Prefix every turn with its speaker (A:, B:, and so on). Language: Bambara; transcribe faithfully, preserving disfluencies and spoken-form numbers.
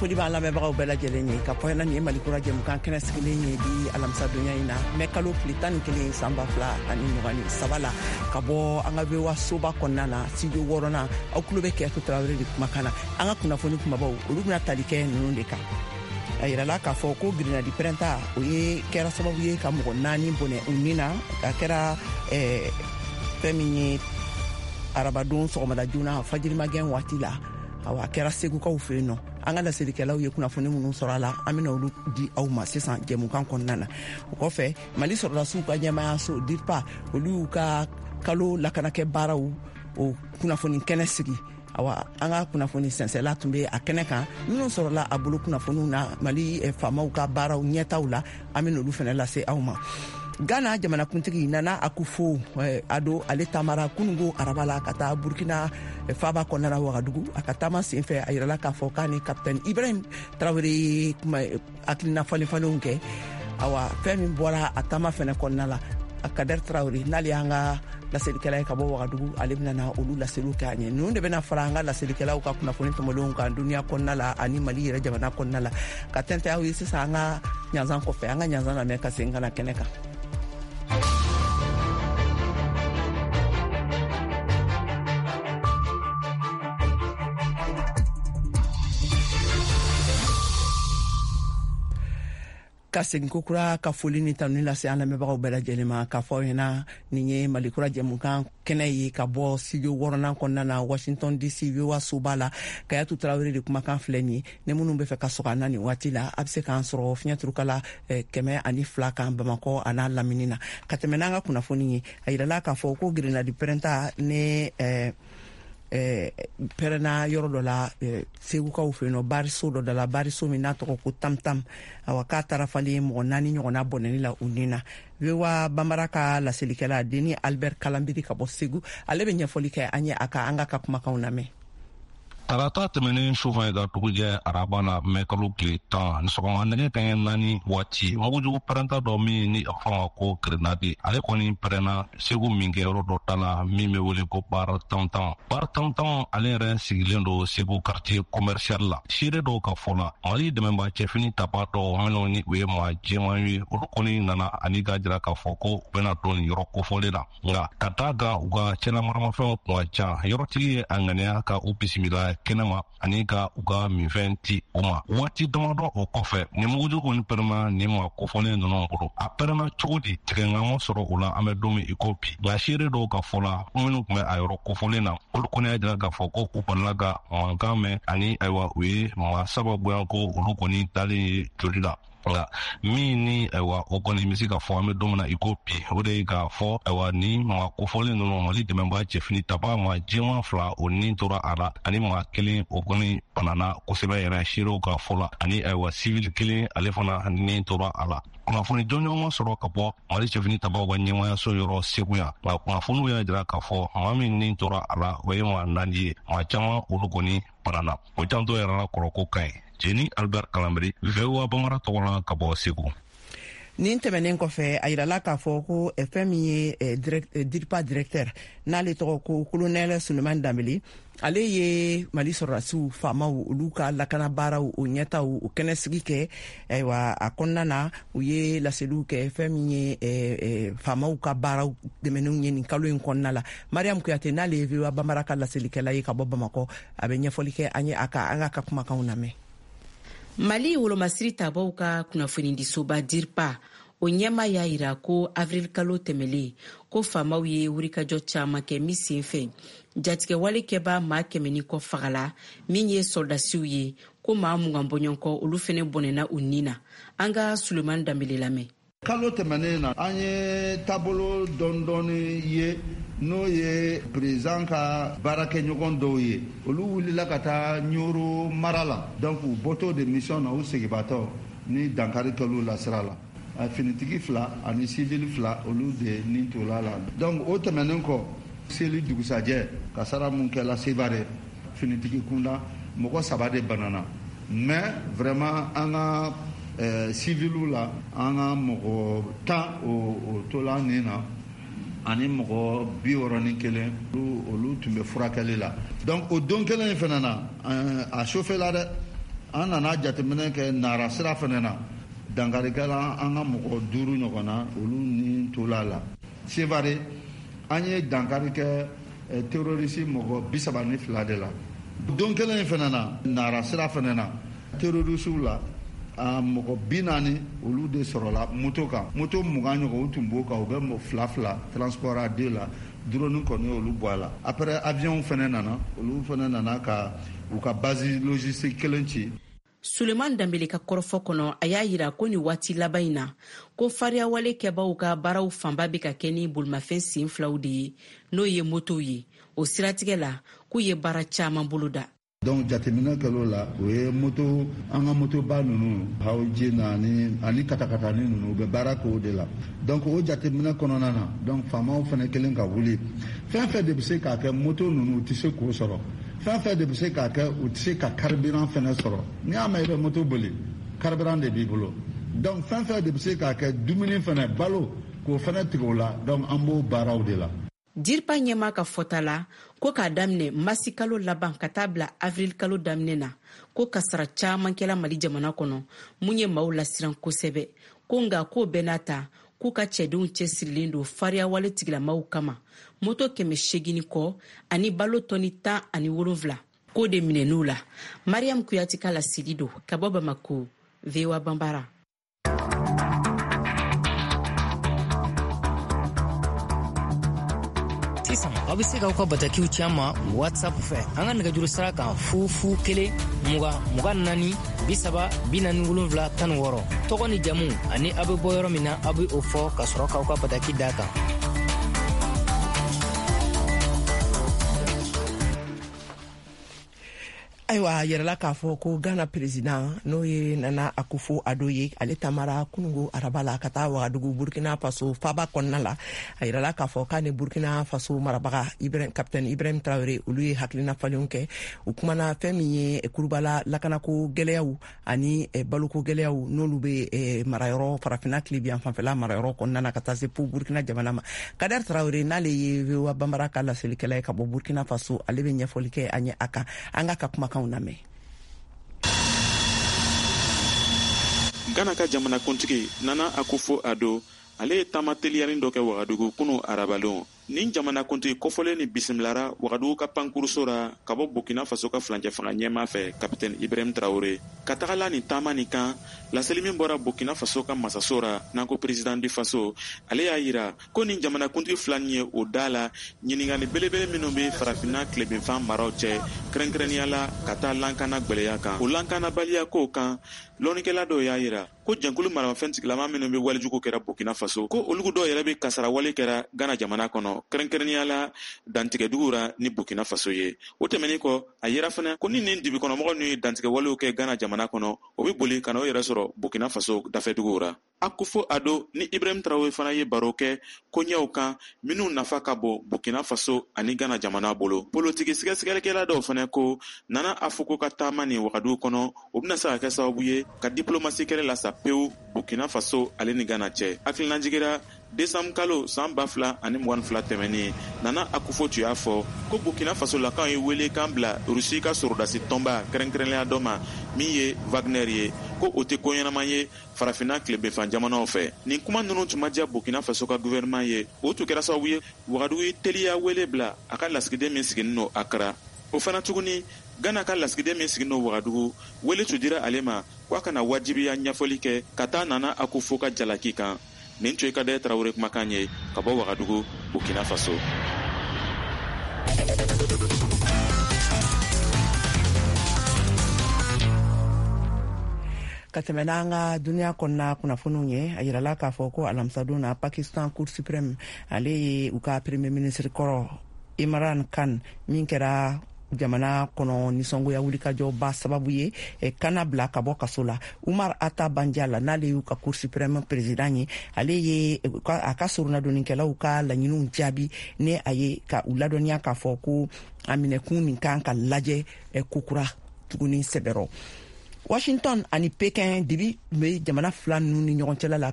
A: Foli b'an lamɛnbagaw bɛɛ lajɛlen ye ka fɔ nin ye Mali Kura jɛmukan kɛnɛ sigilen ye bi alamisadonya in na mɛ kalo tile tan ni kelen san ba fila ani mugan ni saba la ka bɔ an ka V O A soba kɔnɔna na studio wɔɔrɔnan. Aw tulo bɛ Kɛyatu Tarawele de kumakan na. An ka kunnafoni kumabaw olu bɛna tali kɛ ninnu de kan. A yirala k'a fɔ ko grenadi pɛrɛnta o ye kɛra sababu ye ka mɔgɔ naani bɔnɛ u ni na. A kɛra fɛn min ye arabadon sɔgɔmada joona fajirimagɛn waati la. Awa, a kɛra Segukaw fɛ yen nɔ. An ka laselikɛlaw ye kunnafoni minnu sɔrɔ a la, an bɛna olu di aw ma sisan jɛmukan kɔnɔna na. O kɔfɛ, Mali sɔrɔdasiw ka ɲɛmaayaso DIRPA olu y'u ka kalo lakanakɛ baaraw o kunnafoni kɛnɛ sigi. Awa, an ka kunnafoni sɛnsɛla tun bɛ a kɛnɛ kan. Minnu sɔrɔla a bolo kunnafoniw na Mali faamaw ka baaraw ɲɛtaw la, an bɛna olu fana lase aw ma. Ghana jamanakuntigi Nana Akufo Addo, ale taamara kunungo araba la ka taa Burkina faaba kɔnɔna la Wagadugu. A ka taama senfɛ, a yirala k'a fɔ k'a ni capitaine Ibrahim Traoré ye hakilina falen falenw kɛ. Awa, fɛn min bɔra a taama fɛnɛ kɔnɔna la, Kader Traoré n'ale y'an ka laselikɛla ye ka bɔ Wagadugu, ale bɛna na olu laseliw kɛ an ye. Ninnu de bɛna fara an ka laselikɛlaw ka kunnafoni tɔmɔlenw kan duniya kɔnɔna la ani Mali yɛrɛ jamana kɔnɔna la. Ka tɛntɛ aw ye sisan an ka ɲanzan kɔfɛ, an ka ɲanzan lamɛn ka segin ka na kɛnɛ kan. Ka segin kokura ka foli ni tanuni lase an lamɛnbagaw bɛɛ lajɛlen ma k'a fɔ aw ɲɛna nin ye Mali Kura jɛmukan kɛnɛ ye ka bɔ studio wɔɔrɔnan kɔnɔna na Washington D C V O A soba la. Kayatu Tarawele de kumakan filɛ nin ye. Ni minnu bɛ fɛ ka sɔgɔ an na nin waati la, a bɛ se k'an sɔrɔ fiɲɛturukala kɛmɛ ani fila kan Bamakɔ a n'a lamini na. Ka tɛmɛ n'an ka kunnafoni ye, a yirala k'a fɔ ko grenadi pɛrɛnta ni pɛrɛnna yɔrɔ dɔ la Segukaw fɛ yen nɔ, bariso dɔ da la, bariso min n'a tɔgɔ ko Tamtam. Awa, k'a taara falen mɔgɔ naani ɲɔgɔnna bɔnɛni la u ni na. V O A Banbara ka laselikɛla Denis Albert Kalambiri ka bɔ Segu, ale bɛ ɲɛfɔli kɛ an ye a ka an ka ka kumakanw lamɛn.
B: Tarata tɛmɛnen sufɛ ka dugujɛ araba la mɛ kalo tile tan sɔgɔma nɛgɛ kanɲɛ naani waati, mugujugu pɛrɛnta dɔ min ni a fɔ ma ko grenadi, ale kɔni pɛrɛnna Segu minkɛyɔrɔ dɔ ta la min bɛ wele ko Bar Tantan. Bar Tantan ale yɛrɛ sigilen don Segu quartier commercial la. Seere dɔw ka fɔ la, Mali dɛmɛba cɛfini taba dɔw minnu ni u ye maa jɛman ye, olu kɔni nana ani k'a jira k'a fɔ ko u bɛna don nin yɔrɔ kofɔlen la. Nka ka d'a kan u ka cɛlamaramafɛnw tun ka ca, yɔrɔtigi ye a ŋaniya ka u bisimila kɛnɛma ani ka u ka minfɛn ti u ma. Waati damadɔ o kɔfɛ, ni mugujugu kɔni pɛrɛnna nin maa kofɔlen ninnu bolo. A pɛrɛnna cogo di, tigɛŋa sɔrɔ o la an bɛ don min i ko bi. Nka seere dɔw ka fɔ la, minnu tun bɛ a yɔrɔ kofɔlen na, olu kɔni y'a jira k'a fɔ ko u balila ka mankan mɛn ani ayiwa u ye maa saba bonya ko olu kɔni dalen ye joli la. Nka min ni ayiwa o kɔni bɛ se ka fɔ an bɛ don min na i ko bi, o de ye k'a fɔ ayiwa ni maa kofɔlen ninnu Mali dɛmɛbaa cɛfini taba maa jɛman fila o ni tora a la ani maa kelen o kɔni banana kosɛbɛ yɛrɛ seerew ka fɔ la, ani ayiwa sivili kelen ale fana ni tora a la. Kunnafoni jɔnjɔn ma sɔrɔ ka bɔ Mali cɛfini tabaw ka ɲɛmaayaso yɔrɔ Segu yan, nka kunnafoniw y'a jira k'a fɔ maa min ni tora a la o ye maa naani ye, maa caman olu kɔni banana. O janto yɛrɛ la kɔrɔ ko ka ɲi. Jeni Albert Kalambiri, V O A Bambara tɔgɔ la ka bɔ Segu.
A: Nin tɛmɛnen kɔfɛ, a yirala k'a fɔ ko fɛn min ye DIRPA directeur n'ale tɔgɔ ko colonel Suleiman Dambele, ale ye Mali sɔrɔdasiw faamaw olu ka lakana baaraw o ɲɛtaw o kɛnɛ sigi kɛ. Ayiwa, a kɔnɔna na u ye laseliw kɛ fɛn min ye faamaw ka baaraw dɛmɛnenw ye nin kalo in kɔnɔna la. Mariam Kuyate n'ale ye V O A Bambara ka laselikɛla ye ka bɔ Bamakɔ, a bɛ ɲɛfɔli kɛ an ye a ka an ka ka kumakanw lamɛn.
C: Mali wolomasiri tabaw ka kunnafonidisoba DIRPA o ɲɛma y'a yira ko avril kalo tɛmɛlen ko faamaw ye wulikajɔ caman kɛ min sen fɛ jatigɛwale kɛbaa maa kɛmɛ ni kɔ fagala min ye sɔrɔdasiw ye, ko maa mugan bɔɲɔgɔnkɔ olu fɛnɛ bɔnɛna u ni na. An ka Suleiman Danbele lamɛn.
D: Kalo tɛmɛnen na, an ye taabolo dɔɔni ye, n'o ye président ka baarakɛɲɔgɔn dɔw ye, olu wulila ka taa Ɲoro mara la. Donc u bɔtɔ de mission na, u segibatɔ ni dankari kɛl'u la sira la, finitigi fila ani civil fila olu de ni tola la. Donc o tɛmɛnen kɔ, seli dugusajɛ kasara mun kɛla Sevare finitigi kunda, mɔgɔ saba de banana. Mais vraiment an ka eh, civiliw la, an ka mɔgɔ tan o tola nin na ani mɔgɔ bi wɔɔrɔ ni kelen olu tun bɛ furakɛli la. Donc o don kelen in fana na, a chauffé la dɛ. An nana jateminɛ kɛ Nara sira fana na, dankari kɛla an ka mɔgɔ duuru ɲɔgɔn na, olu ni tola la. Sevare, an ye dankari kɛ terroriste mɔgɔ bi saba ni fila de la. Don kelen in fana na, Nara sira fana na, terroristew la a mɔgɔ bi naani olu de sɔrɔla moto kan. Moto mugan ɲɔgɔn u tun b'o kan, u bɛ fila fila transport à deux la, drone kɔni olu bɔ a la. Après avion fana nana, olu fana nana ka u ka base logistique kelen ci.
C: Suleman Danbele ka kɔrɔfɔ kɔnɔ, a y'a yira ko ni waati laban in na, ko fariyawale kɛbaw ka baaraw fanba bɛ ka kɛ ni bolimafɛn sen filaw de ye, n'o ye motow ye. O siratigɛ la, k'u ye baara caman boloda.
D: Donc jateminɛ kɛl'o la, o ye moto, an ka motoba ninnu, hawji na ani ani katakatani ninnu, u bɛ baara k'o de la. Donc o jateminɛ kɔnɔna na, donc faamaw fana kelen ka wuli, fɛn fɛn de bɛ se k'a kɛ moto ninnu u tɛ se k'o sɔrɔ, fɛn fɛn de bɛ se k'a kɛ u tɛ se ka carburant fana sɔrɔ. N'i y'a mɛn i bɛ moto boli, carburant de b'i bolo. Donc fɛn fɛn de bɛ se k'a kɛ dumuni fana, balo k'o fana tigɛ o la. Donc an b'o baaraw de la.
C: DIRPA ɲɛmaa ka fɔta la, ko k'a daminɛ masi kalo laban ka taa bila avril kalo daminɛ na, ko kasara caman kɛla Mali jamana kɔnɔ mun ye maaw lasiran kosɛbɛ. Ko nka k'o bɛɛ n'a ta, k'u ka cɛdenw cɛsirilen don fariyawale tigilamaw kama, moto kɛmɛ seegin kɔ ani balo tɔni tan ani wolonfila k'o de minɛn'u la. Mariam Kuyate ka laseli don ka bɔ Bamako, V O A Banbara.
E: Sisan aw bɛ se k'aw ka batakiw ci an ma WhatsApp fɛ an ka nɛgɛjuru sira kan fu fu kelen mugan mugan naani bi saba bi naani wolonfila tan ni wɔɔrɔ. Tɔgɔ ni jamu ani aw bɛ bɔ yɔrɔ min na, aw bɛ o fɔ ka sɔrɔ k'aw ka bataki d'a kan.
A: Ayiwa, a yɛrɛla k'a fɔ ko Ghana président, n'o ye Nana Akufo Addo ye, ale tamara kunungo araba la ka taa Wagadugu, Burkina Faso faba kɔnɔna la. A yirala k'a fɔ k'a ni Burkina Faso marabaga Ibrahim, capitaine Ibrahim Traoré, olu ye hakilina falenw kɛ. U kumana fɛn min ye kurubala lakanako gɛlɛyaw ani baloko gɛlɛyaw n'olu bɛ marayɔrɔ farafinna tilebiyan fanfɛla marayɔrɔ kɔnɔna na ka taa se fo Burkina jamana ma. Kader Traoré, n'ale ye V O A Banbara ka laselikɛla ye ka bɔ Burkina Faso, ale bɛ ɲɛfɔli kɛ an ye a kan. An ka ka kumakan lamɛn.
F: Ghana ka jamanakuntigi Nana Akufo Addo, ale ye taama teliyani dɔ kɛ Wagadugu kunu arabalon. Nin jamanakuntigi kofɔlen ni bisimilara Wagadugu ka pankuruso ra ka bɔ Burkina Faso ka furancɛ fanga ɲɛmaa fɛ, capitaine Ibrahim Traoré. Ka taga la nin taama nin kan, laseli min bɔra Burkina Faso ka masaso ra, n'an ko président du Faso, ale y'a yira ko nin jamanakuntigi fila nin ye o da la ɲininkali belebele minnu bɛ farafinna tilebinfan maraw cɛ, kɛrɛnkɛrɛnnenya la ka taa lankana gwɛlɛya kan. O lankanabaliya kow kan, lɔnnikɛla dɔw y'a yira ko jɛnkulu maramafɛn tigilama minnu bɛ walejugu kɛra Burkina Faso, ko olugu dɔw yɛrɛ bɛ kasarawale kɛra Ghana jamana kɔnɔ, kɛrɛnkɛrɛnnenya la dantigɛdugu ra ni Burkina Faso ye. O tɛmɛnen kɔ, a yera fana ko ni nin dibikɔnɔmɔgɔ ninnu ye dantigɛwalew kɛ Ghana jamana kɔnɔ, o bɛ boli ka n'o yɛrɛ sɔrɔ Burkina Faso dafɛduguw ra. Akufo Addo ni Ibrahim Traoré fana ye baro kɛ koɲɛw kan minnu nafa ka bon Burkina Faso ani Ghana jamana bolo. Politiki sɛgɛsɛgɛlikɛla dɔw fana ko Nana Akufo ka taama nin Wagadugu kɔnɔ, o bɛna se ka kɛ sababu ye ka diplomasi kɛlɛ lasa pewu Burkina Faso ale ni Ghana cɛ. Hakilinajigira desanburu kalo san ba fila ani mugan fila tɛmɛnen, Nana Akufo tun y'a fɔ ko Burkina Faso lakaw ye welekan bila Rusi ka sɔrɔdasi tɔnba kɛrɛnkɛrɛnnenya dɔ ma min ye Wagner ye, ko o tɛ ko ɲɛnama ye farafinna tilebinfan jamanaw fɛ. Nin kuma ninnu tun ma diya Burkina Faso ka gouvernement ye. O tun kɛra sababu ye Wagadugu ye teliya wele bila a ka lasigiden min sigilen don Accra. O fana tuguni, Ghana ka lasigiden min sigilen don Wagadugu, wele tun dira ale ma ko a kana wajibiya ɲɛfɔli kɛ ka taa Nana Akufo ka jalaki kan. Nin tun ye Kader Traoré kumakan ye ka bɔ Wagadugu, Burkina Faso.
A: Ka tɛmɛ n'an ka duniya kɔnɔna kunnafoniw ye, a yirala k'a fɔ ko alamisadon na, Pakistan Cour suprême, ale ye u ka premier ministre kɔrɔ Imran Khan, min kɛra jamana kɔnɔ nisɔngoya wulikajɔba sababu ye, kana bila ka bɔ kaso la. Umar Ata Banjala, n'ale y'u ka Cour suprême président ye, ale ye a ka soronadonnikɛlaw ka laɲiniw jaabi ni a ye ka u ladɔnniya k'a fɔ ko a minɛkun nin kan ka lajɛ kokura tuguni sɛbɛrɔ. Washington ani Pekin, dibi bɛ jamana fila ninnu ni ɲɔgɔn cɛla la.